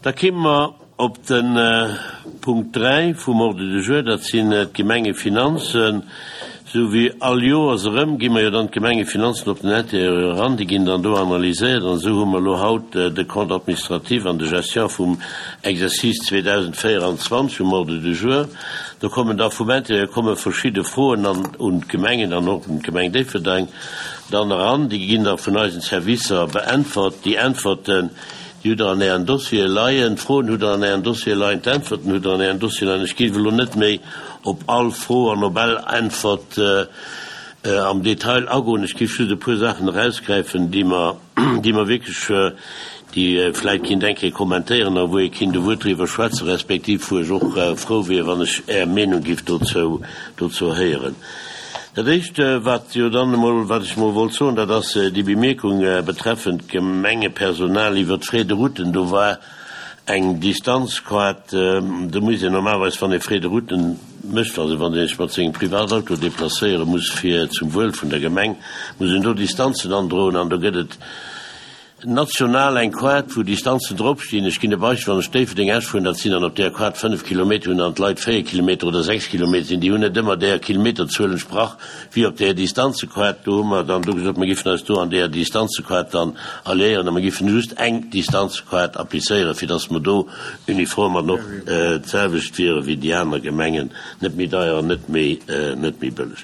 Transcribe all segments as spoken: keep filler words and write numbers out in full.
Da kéime mer op de Punkt dräi vum Ordre du jour, dat sinn d'Gemengefinanzen. Sou wéi all Joers erëm gi mer jo dann d'Gemengefinanzen op den Intérieur eran, déi ginn dann do analyséiert an esou hu mer elo haut de Compte administratif an de gestion vum Exercice zweedausendvéieranzwanzeg um Ordre du jour. Do kommen da vum Intérieur komme verschidde Froen an un d'Gemengen an och un d'Gemeng Déifferdeng dann eran. Déi ginn da vun eisen Servicer beäntwert. Déi Äntwerten, déi hutt Der an Ären Dossiere leien. D'Froen hutt Der an Ären Dossiere leien, d'Äntwerten hutt Der an Ären Dossiere leien. Ech géif elo net méi op all Fro an op all Äntwert am Detail agoen. Ech géif just e puer Saachen erausgräifen, déi mer, déi mer wierklech, déi vläicht kinnt eng Kéier kommentéieren a wou ee kinnt e Wuert driwwer schwätzen, respektiv wou ech och frou wier, wann ech Är Meenung géif dozou, dozou héieren. Dat Éischt, wat jo dann emol, wat ech emol wollt soen, dat ass déi Bemierkung betreffend d'Gemengepersonal iwwert d'Frais de route. Do war eng Distanzquart, do muss een normalerweis, wann ee Frais de route mécht, also wann ee sech mat sengem Privatauto déplacéiere muss fir zum Wuel vun der Gemeng, muss een do Distanzen androen an do gëtt et national eng Quart, wou Distanzen dropstinn. Ech ginn e Beispill, Wann ech Déifferdeng-Esch fueren, dat sinn dann op där Quart fënnef Kilometer, hunn dann d'Leit véier Kilometer oder sechs Kilometer sinn, déi hunn net ëmmer där Kilometerzuel entsprach wéi op där Distanzequart. Do hu mer dann do gesot, mer giffen eis do an där Distanzequart dann alliéieren a mer giffen just eng Distanzequart applizéieren, fir dass mer do uniform an och d'selwecht wiere wéi déi aner Gemengen, net méi deier an net méi, net méi bëlleg.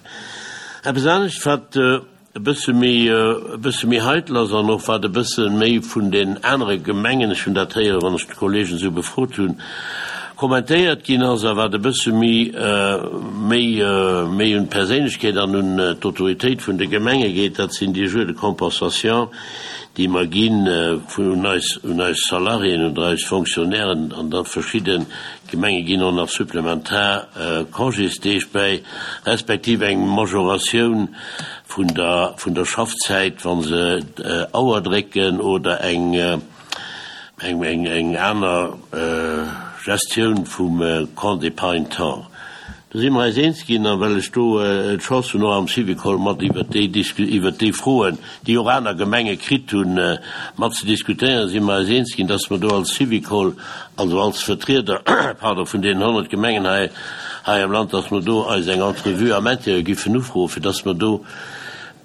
Eppes anescht, wat e bësse méi, e bësse méi heitel ass an och wat e bësse méi vun den anere Gemengen, ech hunn dat héieren, wann ech d'Kollegen esou befrot hunn, kommentéiert ginn ass a wat e bësse méi, méi, méi un d'Perséinlechkeet an un d'Autoritéit vun de Gemenge geet, dat sinn déi Jours de compensation, déi mer ginn un eis, un eis Salariéen, un eis Fonctionnairen an da verschidde Gemenge ginn och nach supplementar Congésdeeg bäi, respektiv eng Majoratioun vun der, vun der Schaffzäit, wa se Auer drécken oder eng, eng, eng, eng aner Gestioun vum Compte d'épargne temps. Do si mer eis eens ginn, a well ech do d'Chance hunn, och am Syvicol mat iwwert déi, iwwert déi Froen, déi och aner Gemenge kritt hunn, mat ze diskutéieren, si mer eis eens ginn, dass mer do als Syvicol, also als Vertrieder, pardon, vun deenen honnert Gemengen hei, hei am Land, dass mer do eis eng Entrevue am Intérieur giffen ufroen, fir dass mer do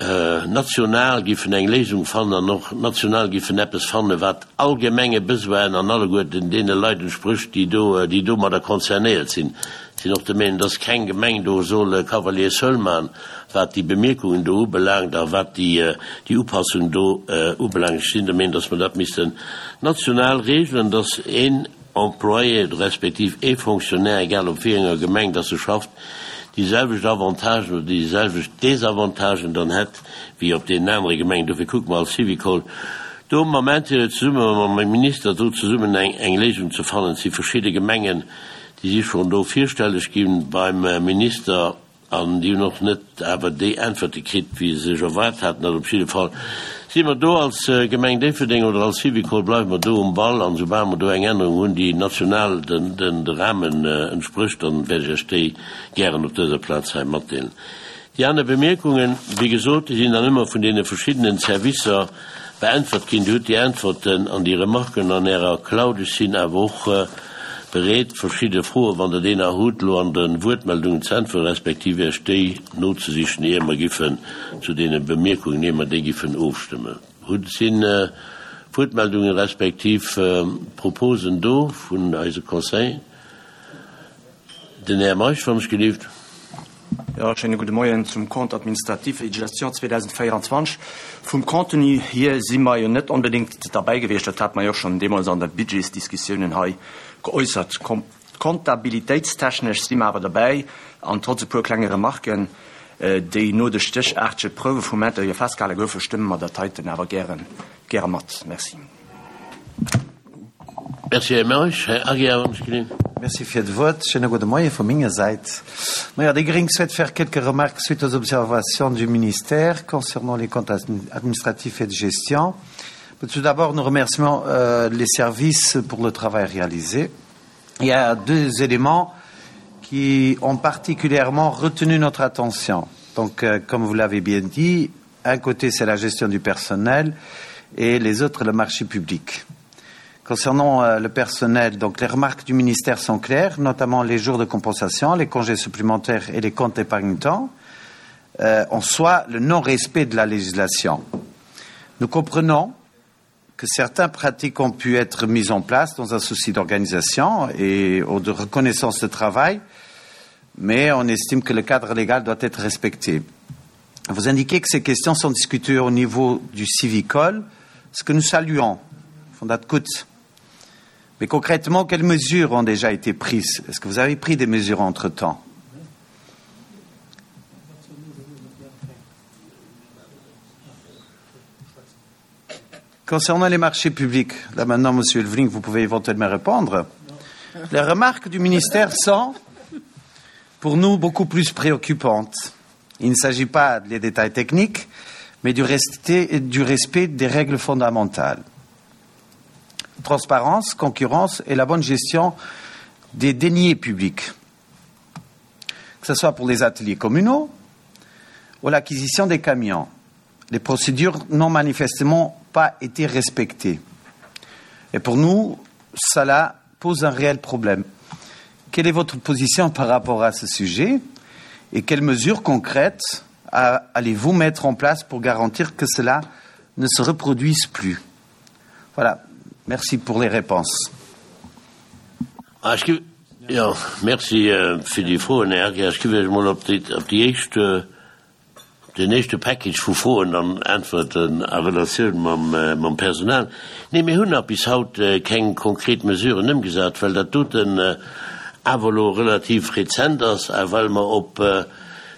national giffen eng Léisung fannen an och national giffen eppes fannen, wat allgemenge Besoinen an alleguerten deene Leit entsprécht, déi do, déi domadder concernéiert sinn. Ech sinn och der Meenung, dass keng Gemeng do soll e Cavalier seul maachen, wat déi Bemierkungen do ubelaangt a wat déi, déi Upassung do ubelaangt. Ech sinn der Meenung, dass mer dat missten national regelen, dass een Employé respektiv ee Fonctionnaire, egal op wéi enger Gemeng dass e schafft, déi selwecht Avantagen oder déi selwecht Désavantagen dann hätt wéi op deenen anere Gemengen. Dofir kucke mer als Syvicol do am Moment zesumme mam Minister do zesummen eng eng Léisung ze fannen. Et si verschidde Gemengen, déi si schonn do virstelleg gi beim Minister an déi hunn och net awer déi Äntwerte kritt, wéi se sech erwaart haten. Also op jidde Fall si mer do als Gemeng Déifferdeng oder als Syvicol bleiwe mer do um Ball an soubal mer do eng Ännerung hunn, déi national den den de Rahmen entsprécht, dann wäert ech Iech déi gären op dëser Plaz hei matdeelen. Déi aner Bemierkungen, wéi gesot, déi sinn dann ëmmer vun deene verschiddenen Servicer beäntwert ginn. Dir hutt déi Äntwerten an déi Remarken an Ärer Cloud. Ech sinn awer och bereet, verschidde Froen, wann Der déi nach hutt, elo an de Wuertmeldungen ze äntweren, respektiv Iech déi nozesichen, ier mer giffen zu deene Bemierkungen, ier mer déi giffen ofstëmmen. Hutt, si Wuertmeldungen respektiv Proposen do vun eise Conseil? Den Här Meisch, wann ech gelift. Jo, schéine gudde Moien. Zum Compte administratif et de gestion zweedausendvéieranzwanzeg. Vum Contenu hier si mer jo net onbedéngt derbäi gewiescht. Dat hate mer jo och schonn deemools an der Budgetsdiskussiounen hei geäussert. Comptabilitéitstechnesch si mer awer derbäi an trotz e puer klenge Remarken, déi no de stéchaartege Prouwe vum Intérieur festgehale goufen, stëmme mer dat heiten awer gären, gäre mat. Merci. Merci, Här Meisch. Här Aguiar, wann ech gelinn. Merci fir d'Wuert. Schéine gudde Moie vu menger Säit. Maja, déi Gréng souhaite faire quelques remarques suite aux observations du ministère concernant les comptes administratifs et de gestion. Tout d'abord, nous remercions euh, les services pour le travail réalisé. Il y a deux éléments qui ont particulièrement retenu notre attention. Donc, euh, comme vous l'avez bien dit, un côté, c'est la gestion du personnel et les autres, le marché public. Concernant euh, le personnel, donc les remarques du ministère sont claires, notamment les jours de compensation, les congés supplémentaires et les comptes épargne-temps, euh, en soi le non-respect de la législation. Nous comprenons que certaines pratiques ont pu être mises en place dans un souci d'organisation et ou de reconnaissance de travail, mais on estime que le cadre légal doit être respecté. Vous indiquez que ces questions sont discutées au niveau du Syvicol, ce que nous saluons, Fondat Kutz. Mais concrètement, quelles mesures ont déjà été prises? Est-ce que vous avez pris des mesures entre-temps? Concernant les marchés publics, là maintenant, Monsieur Ulveling, vous pouvez éventuellement répondre. Les remarques du ministère sont, pour nous, beaucoup plus préoccupantes. Il ne s'agit pas des détails techniques, mais du respect, du respect des règles fondamentales. Transparence, concurrence et la bonne gestion des deniers publics, que ce soit pour les ateliers communaux ou l'acquisition des camions. Les procédures n'ont manifestement pas été respectées. Et pour nous, cela pose un réel problème. Quelle est votre position par rapport à ce sujet et quelles mesures concrètes allez-vous mettre en place pour garantir que cela ne se reproduise plus? Voilà. Merci pour les réponses. Ah, ech gi, jo, merci fir déi Froen, Här Acker. Ech géif Iech emol op déi, op déi éischt, op den éischte Package vu Froen dann äntwerten a Relatioun mam, mam Personal. Nee, mir hunn nach bis haut keng konkret Mesuren ëmgesat, well dat doten awer elo relativ rezent ass a well mer op,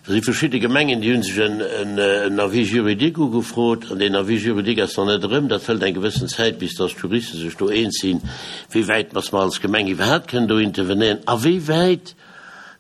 do si verschidde Gemengen, déi hu sech en, en, en Avis juridique ugefrot an deen Avis juridique ass nach net erëm. Dat hëlt eng gewëssen Zäit, bis dass d'Juriste sech do eens sinn, wéi wäit dass mer als Gemeng iwwerhaapt kënnen do intervenéieren a wéi wäit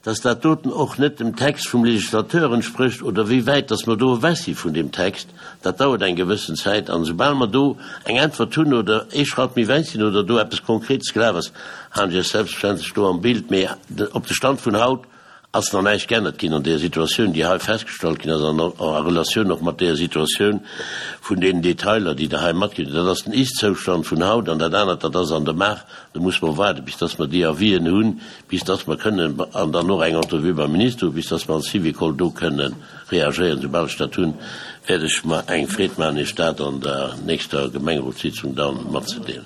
dass dat doten och net dem Text vum Legislateur entsprécht oder wéi wäit dass mer do ewech si vun deem Text. Dat dauert eng gewëssen Zäit an esoubal mer do eng Äntwert hunn oder ee Schratt méi wäit sinn oder do eppes Konkretes gelaf ass, halen ech eis selbstverständlech do am Bild. Mee op de Stand vun haut ass nach näischt geännert ginn an där Situatioun, déi hei festgestallt ginn ass, an a Relatioun och mat där Situatioun vun deenen Detailer, déi Der hei matginn hutt. Dat ass den Ist-Zoustand vun haut, an dat anert, dat ass an der Maach. Do muss mer waarden, bis dass mer déi Avisen hunn, bis dass mer kënnen, an dann och eng Entrevue beim Minister hunn, bis dass mer als Syvicol do kënnen reagéieren. Soubal ech dat hunn, wäert ech mer eng Freed maachen, Iech dat an der nächster Gemengerotssitzung da matzedeelen.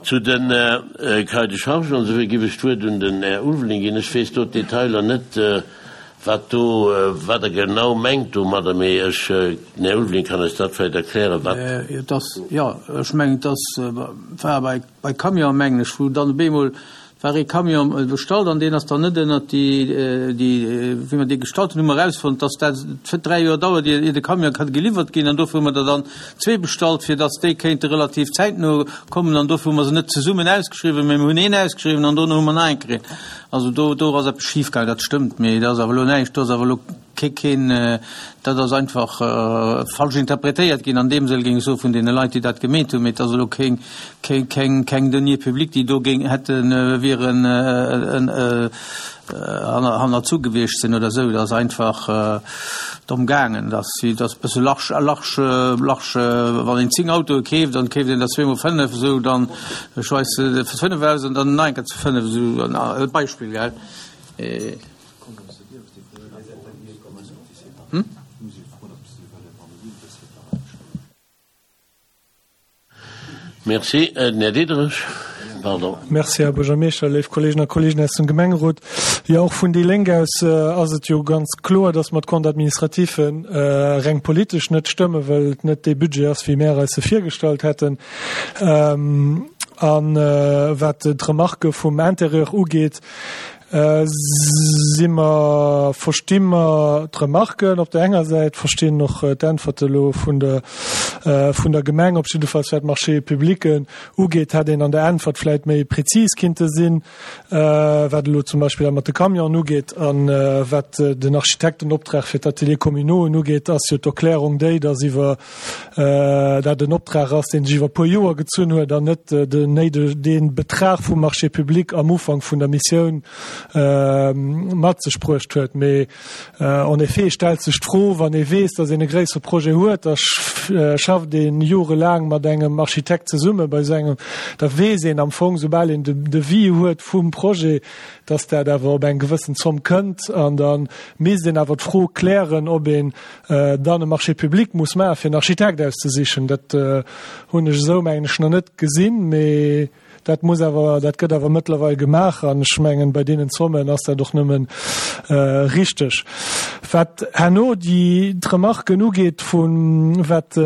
Zu den Cahiers de charges an esou wéi giff ech d'Wuert un den Här Ulveling ginn. Ech weess do d'Detailer net, wat do, wat Der genau mengt domadder, mee ech, den Här Ulveling kann eis dat vläicht erklären, wat. Et ass, jo, ech mengen, et ass, war bei, bei Camion, mengen ech, wou dann op eemol war ee Camion bestallt an deen ass dann net ënnert déi, déi, wéi mer dee gestallt hunn, hu mer erausfonnt, dass dat dräi Joer dauert, ier, ier de Camion kann geliwwert ginn. An dofir hu mer der dann zwee bestallt, fir dass déi kéinte relativ zäitno kommen. An dofir hu mer se net zesummen ausgeschriwwen, mä mir hunn een ausgeschriwwen an dono hu mer nach eng kritt. Also do, do ass eppes schifgaangen, dat stëmmt, mee dat ass awer elo näischt, do ass awer elo kee, keen, dat ass einfach falsch interpretéiert ginn an deem Sënn, géing ech soen, vun deene Leit, déi dat gemeet hunn, mee et ass elo keng, keng, keng, keng Deniers publics, déi do géing hätten, wieren hannerzu gewiescht sinn oder esou. Dat ass einfach domm gaangen, dass si, dass e bësse large, large, large, wann een zéng Autoe keeft, dann keeft een der zweemol fënnef, esou, dann, ech weess, fënnef aus an dann nach eng Kéier zu fënnef, esou e Beispill, gell. Hm? Merci. Den Här Diderich, pardon. Merci, Här Buergermeeschter, léif Kolleegen a Kolleegen aus dem Gemengerot. Jo, och vun déi Lénk aus ass et jo ganz kloer, dass mer d'Compte administratifen reng politesch net stëmmen, well et net dee Budget ass, wéi mär eis e virgestallt hätten. A wat d'Remarque vum Intérieur ugeet, si mer, versti mer d'Remarquen op der enger Säit, verstinn och d'Äntwerte elo vun der, vun der Gemeng. Op jiddefalls wat d'Marchés publics ugeet, hätt een an der Äntwert vläicht méi prezis kinnte sinn, wat elo zum Beispill dat mat de Camionen ugeet. A wat den Architektenoptrag fir d'Ateliers communaux ugeet, ass jo d'Erklärung déi, dass iwwer dat en Optrag ass, deen sech iwwer e puer Joer gezunn huet an net den néideg, dee Betrag vum Marché public am Ufank vun der Missioun mat sech bruecht huet. Mee en effet stellt sech d'Fro, wann ee weess, datt een e gréissere Projet huet, da schafft ee jorelaang mat engem Architekt zesumme bei esou engem, da weess een am Fong, soubal een den Devis huet vum Projet, datt dat awer op eng gewëssen Zomm kënnt an da misst een awer d'Fro klären, ob een dann e Marché public muss maachen, fir en Architekt auszesichen. Dat hunn ech esou, mengen ech, nach net gesinn, mee dat muss awer, dat gëtt awer mëttlerweil gemaach an ech mengen, bei deenen Zommen ass dat och nëmmen richteg. Wat herno déi d'Remarken ugeet vun, wat,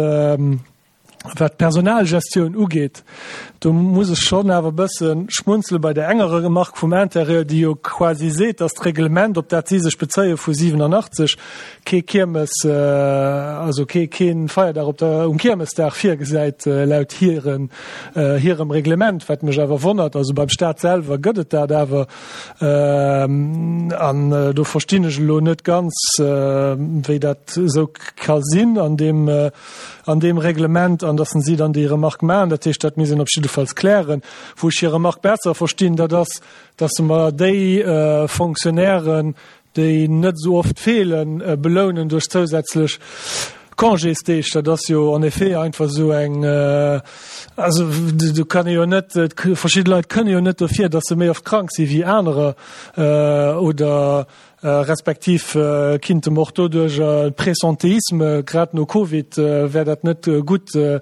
Wat d'Personalgestioun ugeet, do muss ech schonn awer e bësse schmunzele bei där enger Remarque vum Intérieur, déi jo quasi seet, dass d'Reglement, op dat si sech bezéie vu siwenanachtzeg, kee Kiermes, also kee kee Feierdag op der, um Kiermesdag virgesäit laut hiren, hirem Reglement, wat mech awer wonnert. Also beim Stat selwer gëtt et dat awer. An do verstinn ech elo net ganz, wéi dat esou ka sinn an deem, an deem Reglement, an dass si dann déi Remarque maachen. Dat heescht, dat misst een op jiddefalls klären. Wou ech hir Remarque besser verstinn, dat ass, dass mer déi Fonctionnairen, déi net esou oft feelen, belounen duerch zousätzlech Congésdeeg. Dat ass jo en effet einfach esou eng, also do kann ee jo net, verschidde Leit kënne jo net dofir, dass se méi oft krank si wéi anerer oder respektiv kinnte mer och doduerch Presentéisme, grad no Covid wär dat net gutt ze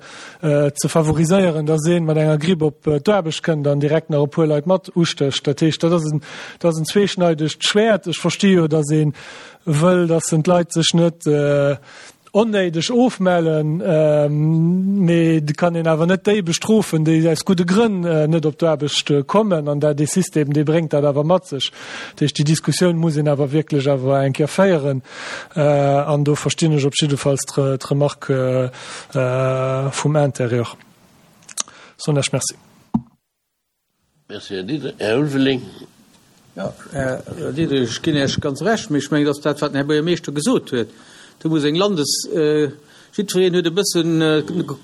favoriséieren, dass ee mat enger Gripp op d'Aarbecht kënnt an direkt nach e puer Leit mat ustécht. Dat heescht, dat ass en, dat ass en zweeschneidegt Schwäert. Ech versti jo, dass ee wëll, dass d'Leit sech net onnéideg ofmellen, mee et kann een awer net déi bestrofen, déi aus gudde Grënn net op d'Aarbecht kommen. An dat dee System, dee bréngt dat awer mat sech. Dat heescht, déi Diskussioun muss een awer wierklech awer eng Kéier féieren. An do verstinn ech op jiddefalls d'Remarque vum Intérieur. Soen lech Merci. Merci, Här Diderich. Här Ulveling. Jo, Här Diderich, ech ginn Iech ganz Recht, mee ech mengen, dass dat, wat den Här Buergermeeschter gesot huet, do muss eng Landes-, jiddwereen huet e bëssen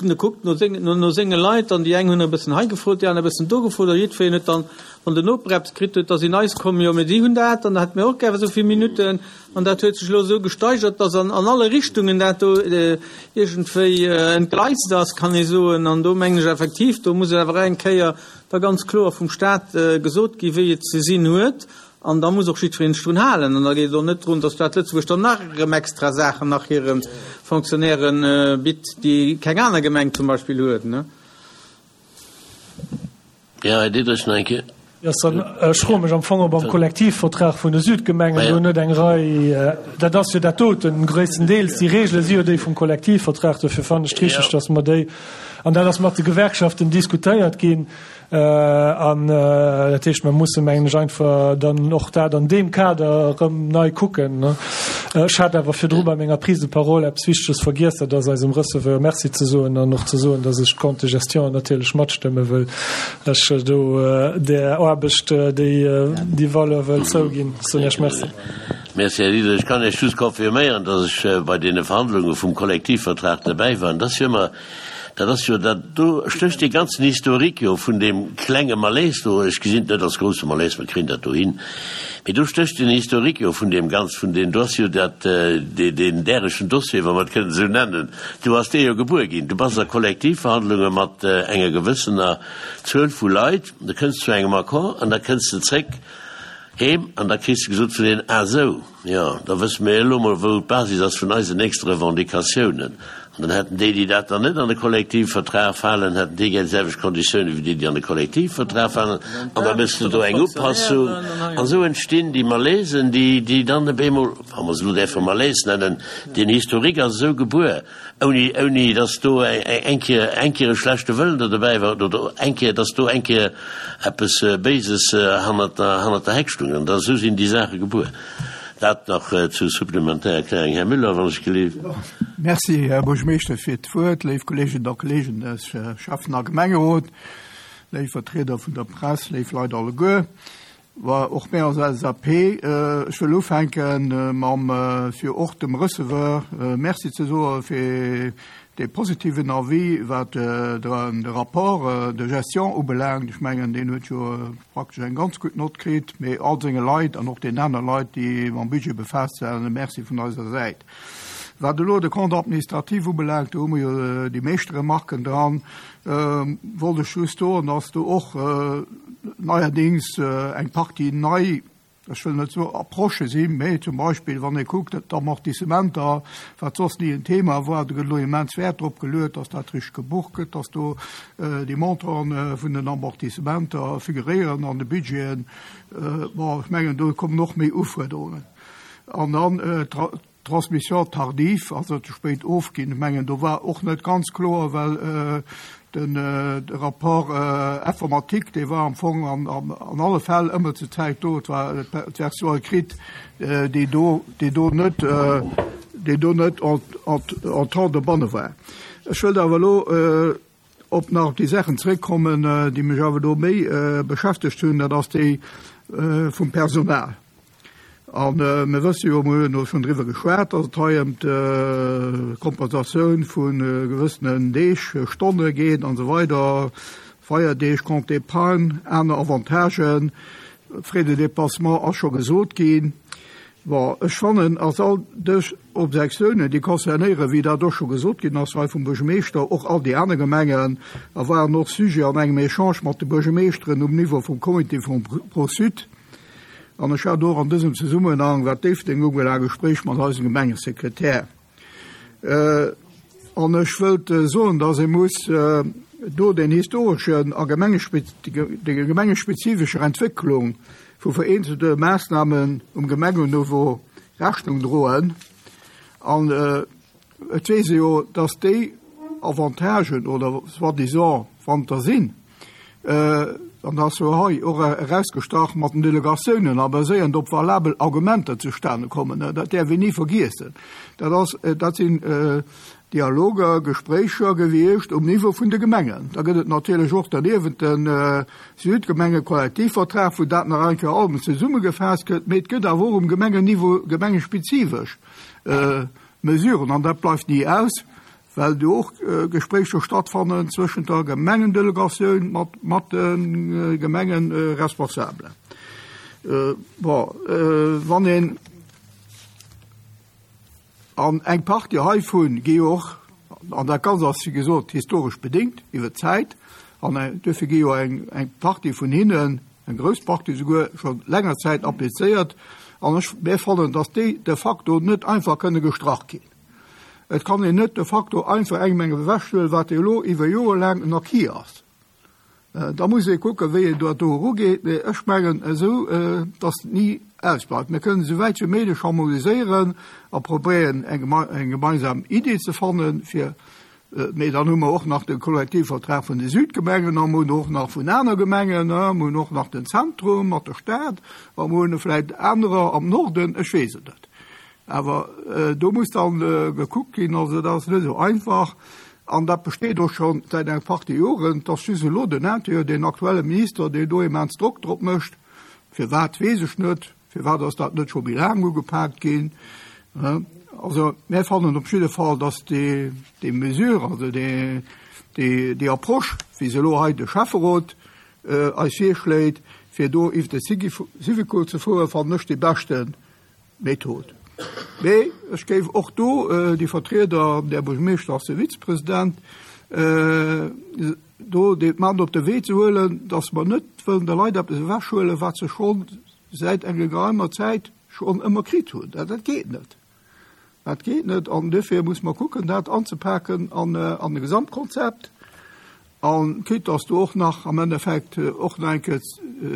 gekuckt no seng, no senge Leit an déi eng hunn e bëssen hei gefrot, déi aner e bëssen do gefrot a jiddwereen huet dann, wann den Noper eppes kritt huet, da sinn eis komm, jo, mee si hunn dat an da hätte mir och gär esou vill Minutten. An dat huet sech elo esou gesteigert, dass an alle Richtungen dat do iergendwéi entgleist ass, kann ee soen. An do mengen ech effektiv, do muss awer eng Kéier da ganz kloer vum Stat gesot gi wéi et ze sinn huet. An da muss och jiddweree sech drun halen. An da geet et och net drun, dass d'Stad Lëtzebuerg dann nach erëm extra Saachen nach hire Fonctionnairen bitt, déi keng aner Gemeng zum Beispill huet. Jo, Här Diderich, nach eng Kéier. Ech froe mech am Fong, ob am Kollektivvertrag vun de Südgemengen do net eng Rei, dat ass jo dat doten gréisstendeels, déi Regele si jo déi vum Kollektivvertrag, dofir fannen ech et richteg, datt mer déi, an dat ass mat de Gewerkschaften diskutéiert ginn, An dat heescht, mer musse mengen ech einfach dann och dat an deem Kader erëm nei kucken. Ech hat awer virdru bei menger Prise de parole eppes Wichteges vergiess, dat ass eisem Receveur Merci ze soen an och ze soen, datt ech d'Compte de gestion natierlech matstëmme wëll ech do där Aarbecht déi déi Valeur wëll zouginn. Soen Iech Merci. Merci, Här Diderich. Ech kann Iech just confirméieren, datt ech bei deene Verhandlunge vum Kollektivvertrag derbäi war. An dat ass jo ëmmer Dat ass jo dat, do stécht dee ganzen Historique jo vun deem klenge Malaise do, ech gesinn et net als grousse Malaise, mer kréien dat do hin, mee do stécht den Historique jo vun deem ganz, vun deem, do ass jo dat, deen därechen Dossier, wa mer et kënnen esou nennen, do ass dee jo gebuer ginn. Du bass a Kollektivverhandlunge mat enger gewëssener Zuel vu Leit, du kënns zu engem Accord an da kënns de zréck heem an da kriss de gesot vun deenen, Ah esou, jo, da wësse mir elo mol, wou d'Basis ass vun eisen nächste Revendicatiounen. An dann hätten déi, déi dat dann net an de Kollektivvertrag falen, hätten déi gär déi selwecht Konditiounen wéi déi, déi an de Kollektivvertrag falen. An da méchs de do eng Upassung. An esou entstinn déi Malaisen, déi, déi dann op eemol, wa mer se elo däerfe Malaise nennen, deen Historique ass esou gebuer, ouni, ouni dass do eng Kéier, eng Kéier e schlechte Wëllen do dobäi war oder eng Kéier, dass do eng Kéier eppes Béises hannert der, hannert der Heck stung. An da esou sinn déi Saache gebuer. Dat nach zur supplementär Erklärung. Här Müller, wann ech gelift. Merci, Här Buergermeeschter, fir d'Wuert. Léif Kolleeginnen a Kolleegen des Schäffen a Gemengerot, léif Vertrieder vun der Press, léif Leit alleguer. War och mär als LSAP, ech wëll ufänken mam, fir och dem Receveur Merci ze soe fir dee positiven Avis, wat de Rapport de gestion ubelaangt. Ech mengen, deen huet jo praktesch eng ganz gutt Nott kritt, mee all senge Leit an och den aner Leit, déi mam Budget befaasst waren, e Merci vun eiser Säit. Wat elo de Compte administratif ubelaangt, do hu mer jo déi meescht Remarken dran, wollt ech just soen, dass do och neierdings eng Partie nei, ech wëll net soen Approchë sinn, mee zum Beispill, wann ee kuckt, d'Amortissementer, wat soss ni en Thema war, do gëtt elo immens Wäert drop geluet, dass dat richteg gebucht gëtt, dass do déi Montanten vun den Amortissementer figuréieren an de Budgeten. Bon, ech mengen, do kommen och méi Ufuerderungen. An dann d'Transmission tardive, also ze spéit ofginn, ech mengen, do war och net ganz kloer, well den de Rapport informatique, dee war am Fong an, an, an alle Fäll ëmmer zur Zäit do, et war d'Version écrite, déi do, déi do net, déi do net en, en, en temps dobanne war. Ech wëllt awer elo op nach op déi Saachen zréckkommen, déi mech awer do méi beschäftegt hunn, dat ass déi vum Personal. An mir wësse jo, mir hunn elo schonn driwwer geschwat, datt et hei ëm d'Kompensatioun vu gewëssenen Deeg, Stonne geet an esou weider, Feierdeeg, Compte épargne, aner Avantagen, Frais de déplacement ass scho gesot ginn. Bon, ech fannen, als all dës Objektiounen, déi concernéieren, wéi dat och scho gesot ginn ass hei vum Buergermeeschter, och all déi aner Gemengen, a waren och Sujet an engem Echange mat de Buergermeeschteren um Niveau vum Comité vum Pro-Sud. An ech hat och an dësem Zesummenhang, wat Déifferdeng ubelaangt, e Gespréich mat eisem Gemengesekretär. An ech wëllt soen, dass ee muss do den historeschen a der gemengespezifescher Entwécklung vu vereenzelte Maassnamen um Gemengenniveau Rechnung droen. An et weess ee jo, dass déi Avantagen oder soi-disant, wann der sinn, an dat ass jo hei och erausgestach mat den Delegatiounen a baséierend op valabel Argumenter zustane kommen, dat däerf een ni vergiessen. Dat ass, dat sinn Dialoger, Gespréicher gewiescht um Niveau vun de Gemengen. Da gëtt et natierlech och derniewent de Südgemengekollektivvertrag, wou dat nach eng Kéier allem zesummegefaasst gëtt, mee et gëtt awer och um Gemengenniveau gemengespezifesch Mesuren, an dat bleift ni aus, well do och Gespréicher stattfannen zwëschent der Gemengendelegatioun mat, mat de Gemengeresponsabelen. Bon, wann een an eng Partie heivun gi jo och, an dat Ganzt ass, wéi gesot, historesch bedéngt iwwer d'Zäit, an duerfir gi jo eng, eng Partie vun hinnen, eng grouss Partie souguer, scho länger Zäit applizéiert, an ech, mir fannen, datt déi de facto net einfach kënne gestrach ginn. Et kann een net de facto einfach engem eng ewechhuelen, wat elo iwwer Jore laang en Acquis ass. Da muss ee kucken, wéi een dat do erugeet, mee ech mengen esou, datt et ni ausbleift. Mir kënnen esou wäit wéi méiglech harmoniséieren a probéieren, eng gemeinsam Idee ze fannen, fir, mee dann hu mer och nach de Kollektivvertrag vun de Südgemengen a mer hunn och nach vun aner Gemengen, mer hunn och nach den Zentrum mat der Stad a mer hunn vläicht anerer am Norden, ech weess et net. Awer do muss dann gekuckt ginn, also dat ass net esou einfach. An dat besteet och scho säit eng Partie Joren, dass just elo den Intérieur, den aktuelle Minister, deen do immens Drock drop mécht. Firwat, weess ech net. Firwat ass dat net scho méi laang ugepaakt ginn? Also mir fannen op jidde Fall, dass déi, déi Mesure, also déi, déi, déi Approche, wéi se elo hei de Schäfferot eis virschléit, fir do iwwer de Syvicol ze fueren, fannen ech déi beschte Method. Mee ech géif och do déi Vertrieder, der Buergermeeschter ass de Vizepresident, do déi mat op de Wee ze huelen, datt mer net wëllen de Leit eppes ewechhuelen, wat se scho säit enger geraumer Zäit schonn ëmmer kritt hunn. Dat geet net. Dat geet net an duerfir muss mer kucken, dat anzepaken an e Gesamtkonzept. An quitte dass do och nach am Endeffekt och nach eng Kéier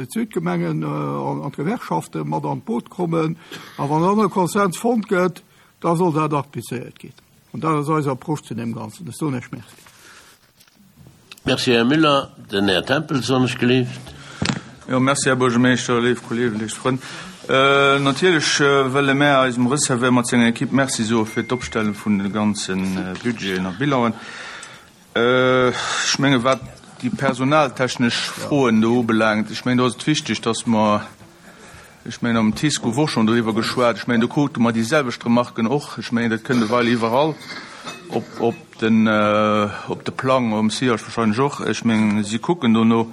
d'Südgemengen an d'Gewerkschafte mat an d'Boot kommen. A wann dann e Konsens fonnt gëtt, da soll dat applizéiert ginn. An dat ass eis Approche zu deem Ganzen. Ech soen Iech Merci. Merci, Här Müller. Den Här Tempels, wann ech gelift. Jo, merci, Här Buergermeeschter, léif Kolleegen, léif Frënn. Natierlech wëlle mär eisem Receveur mat senger Equipe Merci soe fir d'Opstelle vun de ganze Budgeten a Bilanen. Ech menge wat déi personaltechnesch Froen do ubelaangt, ech mengen do ass et wichteg, datt mer Ech mengen, am TICE gouf och schonn doriwwer geschwat. Ech mengen, do krute mer déi selwecht Remarken och. Ech mengen, dat kënnt ewell iwwerall op, op den, op de Plang, um SIAS wahrscheinlech och. Ech mengen, si kucken dono.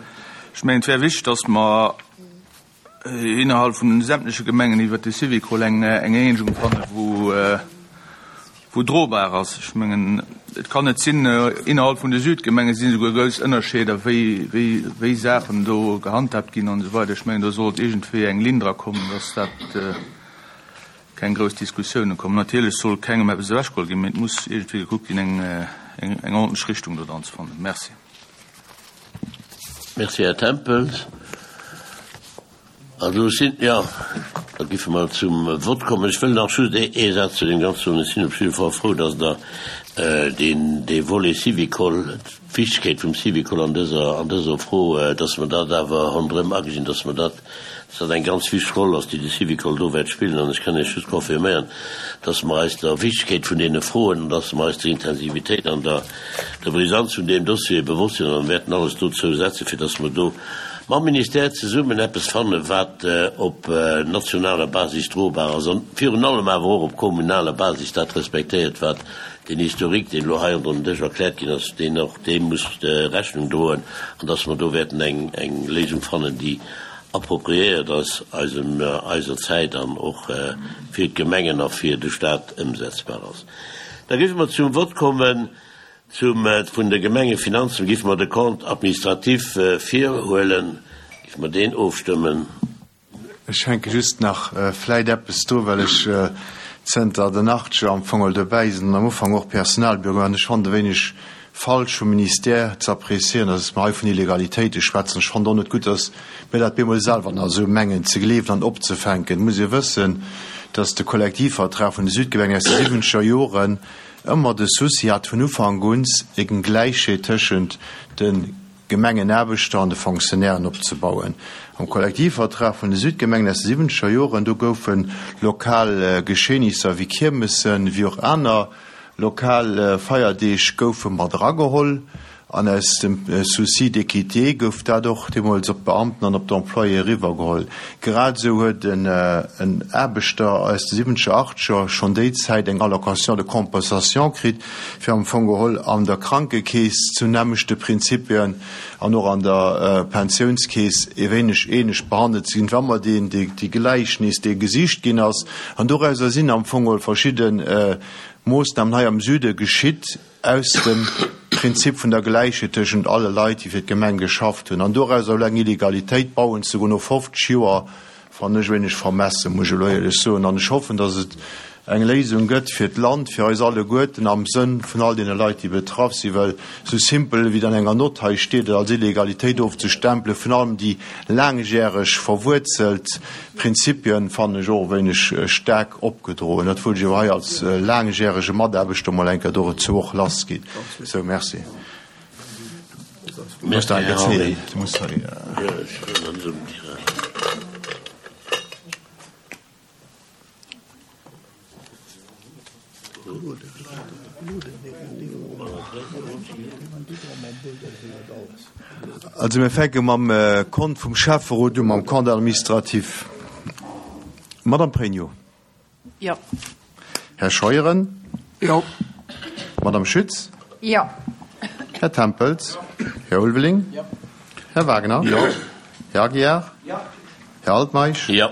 Ech mengen, et wär wichteg, dass mer innerhalb vun den sämtleche Gemengen iwwert de Syvicol eng, eng Eenegung fannen, wou, wou drobar ass. Ech mengen, et kann net sinn, innerhalb vun de Südgemenge sinn esouguer grouss Ënnerscheeder, wéi, wéi, wéi Saachen do gehandhabt ginn an esou weider. Ech mengen, do sollt iergendwéi eng Linn dra kommen, dass dat keng grouss Diskussiounen kommen. Natierlech soll kengem eppes ewechgeholl ginn, mee et muss iergendwéi gekuckt ginn, eng, eng, eng ordentlech Richtung do dran ze fannen. Merci. Merci, Här Tempels. Also ech sinn, jo, da géife mer zum Vott kommen. Ech wëll nach just ee Saz zu deem Ganze soen. Ech sinn op jidde Fall frou, dass Der deen, dee Volet Syvicol, d'Wichtegkeet vum Syvicol an dëser, an dëser Fro, dass mer dat awer ronderëm agesinn, dass mer dat, dass dat eng ganz wichteg Roll ass, déi de Syvicol do wäert spillen. An ech kann Iech just confirméieren, dass mer eis der Wichtegkeet vun deene Froen an dass mer eis der Intensivitéit an der, der Brisanz vun deem Dossier bewosst sinn an wäerten alles dozou setzen, fir dass mer do mam Ministère zesummen eppes fannen, wat op nationaler Basis drobar ass an virun allem awer och op kommunaler Basis dat respektéiert, wat den Historique, deen elo hei ronderëm den Dësch erkläert ginn ass, deen och deem muss Rechnung droen an dass mer do wäerten eng eng Léisung fannen, déi appropriéiert ass eisem eiser Zäit an och fir d'Gemengen a fir de Stat ëmsetzbar ass. Da géife mer zum Vott kommen. Zum vun de Gemengefinanzen géife mer de Compte administratif virhuelen, géife mer deen ofstëmmen. Ech hänke just nach vläit eppes dru, well ech zënter den Achtscher am Fong dobäi sinn an am Ufank och Personalbüro war. An ech fannen e wéineg falsch vum Ministère ze apprécieren, dass mer hei vun Illegalitéite schwätzen. Ech fannen och net gutt, dass mir dat bemol selwer nach esou mengen ze gleewen an opzefänken. Et muss ee wëssen, dass de Kollektivvertrag vun de Südgemengen aus de siwwenzeger Joren ëmmer de Souci hat vun Ufank un, eng Gläichheet tëschent de Gemengenaarbechter an de Fonctionnairen opzebauen. Am Kollektivvertrag vun de Südgemengen aus de siwwenzeger Joren, do goufe lokal Geschehnisser wéi Kiermessen, wéi och aner lokal Feierdeeg goufe mat erageholl. An aus dem Souci d'équité gouf dat och deemools op d'Beamten an op d'Employéë eriwwergeholl. Grad esou huet en Aarbechter aus de siwwenzeger, achtzeger schonn déi Zäit eng Allocation de compensation kritt, fir am Fong geholl an der Krankekeess zu nämmlechte Prinzipien an och an der Pensiounskeess e wéineg ähnlech behandelt ze ginn, wa mer deen, déi Gläichnis, dee gesicht ginn ass. An dorauser sinn am Fong geholl verschidde Moossnamen hei am Süde geschitt, aus dem Prinzip vun der Gläichheet tëschent alle Leit, déi fir d'Gemeng geschafft hunn. An doraus elo eng Illegalitéit bauen ze goen no fofzeg Joer, fannen ech e wéineg vermessen, muss ech elo éierlech soen. An ech hoffen, datt et eng Léisung gëtt fir d'Land, fir eis alleguerten, am Sënn vun all deene Leit, déi betraff sinn, well esou simpel, wéi et an enger Nott hei steet, et als Illegalitéit ofzestempelen, vun allem déi laangjäreg verwuerzelt Prinzipien, fannen ech och e wéineg staark opgedroen. Dat wollt ech awer hei als laangjärege Mataarbechter mol eng Kéier dozou och lassginn. Sou, merci. Merci, Här Henry. Also mir fänke mam Kont vum Schäfferot u, mam Compte administratif. Madame Pregno. Jo. Här Scheuren. Jo. Madame Schütz. Jo. Här Tempels. Här Ulveling. Jo. Här Wagner. Jo. Här Aguiar. Jo. Här Altmeisch. Jo.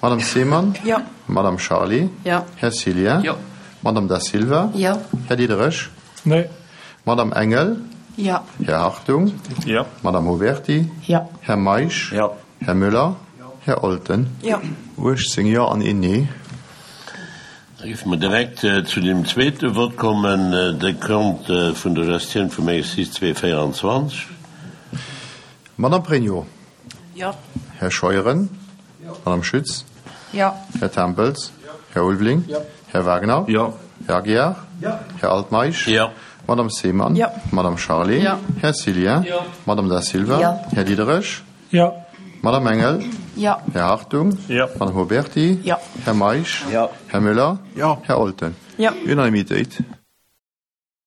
Madame Seemann. Jo. Madame Charlé. Jo. Här Cillien. Jo. Madame Da Silva. Jo. Här Diderich. Nee. Madame Engel. Jo. Här Hartung. Jo. Madame Huberty. Jo. Här Meisch. Jo. Här Müller. Här Olten. Jo. uechtzéng Jo an een Nee. Da géife mer direkt zu deem zweete Vott kommen, de Compte vun der Gestioun vum Exercice zweeduesendzwéianzwanzeg. Madame Pregno. Jo. Här Scheuren. Madame Schütz. Jo. Här Tempels. Här Ulveling. Jo. Här Wagner. Jo. Här Aguiar. Jo. Här Altmeisch. Jo. Madame Seemann. Jo. Madame Charlé. Jo. Här Cillien. Jo. Madame Da Silva. Jo. Här Diderich. Jo. Madame Engel. Jo. Här Hartung. Jo. Madame Huberty. Jo. Här Meisch. Jo. Här Müller. Jo. Här Olten. Jo. Unanimitéit.